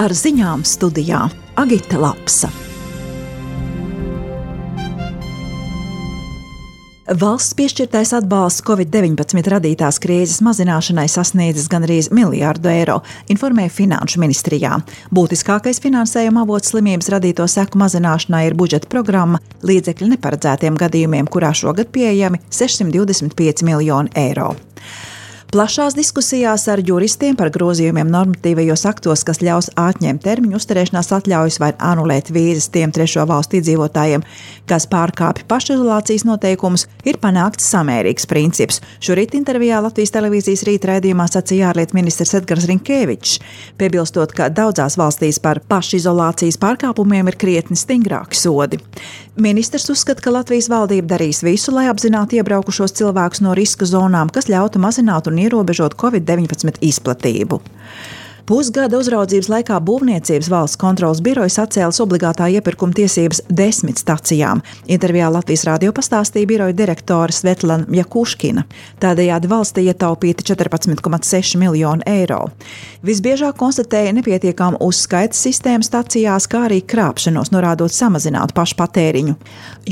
Ar ziņām studijā Agita Lapsa. Valsts piešķirtais atbalsts Covid-19 radītās krīzes mazināšanai sasniedzis gandrīz miljardu eiro, informēja Finanšu ministrijā. Būtiskākais finansējuma avots slimības radīto seku mazināšanai ir budžeta programma līdzekļu neparedzētiem gadījumiem, kurā šogad pieejami 625 miljoni eiro. Plašās diskusijās ar juristiem par grozījumiem normatīvajos aktos, kas ļaus atņemt termiņu uzturēšanās atļaujas vai anulēt vīzas tiem trešo valstu iedzīvotājiem, kas pārkāpj pašizolācijas noteikumus, ir panākts samērīgs princips. Šorīt intervijā Latvijas televīzijas rīta raidījumā sacīja ārlietu ministrs Edgars Rinkēvičs, piebilstot, ka daudzās valstīs par pašizolācijas pārkāpumiem ir krietni stingrāki sodi. Ministrs uzskata, ka Latvijas valdība darīs visu, lai apzinātu iebraukušos cilvēkus no riska zonām, kas ļautu mazināt un ierobežot Covid-19 izplatību. Pusgada uzraudzības laikā Būvniecības valsts kontroles birojas atcēlis obligātā iepirkuma tiesības 10 stacijām. Intervijā Latvijas radio pastāstīja biroja direktore Svetlana Jakuškina. Tādējādi valstī ietaupīti 14,6 miljoni eiro. Visbiežāk konstatēja nepietiekām uzskaitas sistēmu stacijās, kā arī krāpšanos, norādot samazināt pašpatēriņu.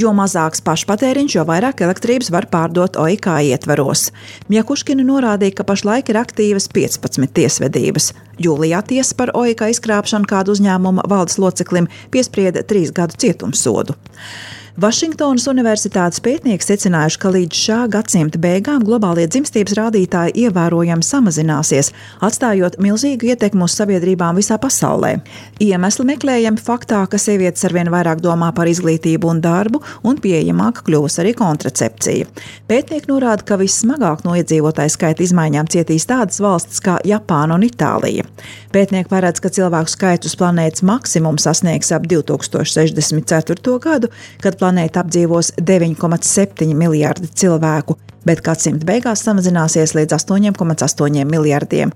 Jo mazāks pašpatēriņš, jo vairāk elektrības var pārdot OIK ietvaros. Jakuškina norādīja, ka pašlaik ir aktīvas 15 tiesvedības. Jūlijā tiesa par OIK izkrāpšanu kādu uzņēmuma valdes loceklim piesprieda 3 gadu cietumsodu. Vašingtonas Universitātes pētnieki secinājuši, ka līdz šā gadsimta beigām globālie dzimstības rādītāji ievērojami samazināsies, atstājot milzīgu ietekmi uz sabiedrībām visā pasaulē. Iemesli meklējami faktā, ka sievietes arvien vairāk domā par izglītību un darbu, un pieejamāka kļūs arī kontracepcija. Pētnieki norāda, ka vissmagāk no iedzīvotāju skaita izmaiņām cietīs tādas valstis kā Japāna un Itālija. Pētnieki paredz, ka cilvēku skaits uz planētas maksimumu sasniegs ap 2064. gadu, kad planēta apdzīvos 9,7 miljardi cilvēku, bet gadsimta beigās samazināsies līdz 8,8 miljardiem.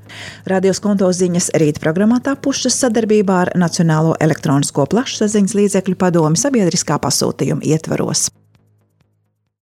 Radio Skonto ziņas rīta programmā tapušas sadarbībā ar Nacionālo elektronisko plašsaziņas līdzekļu padomi sabiedriskā pasūtījuma ietvaros.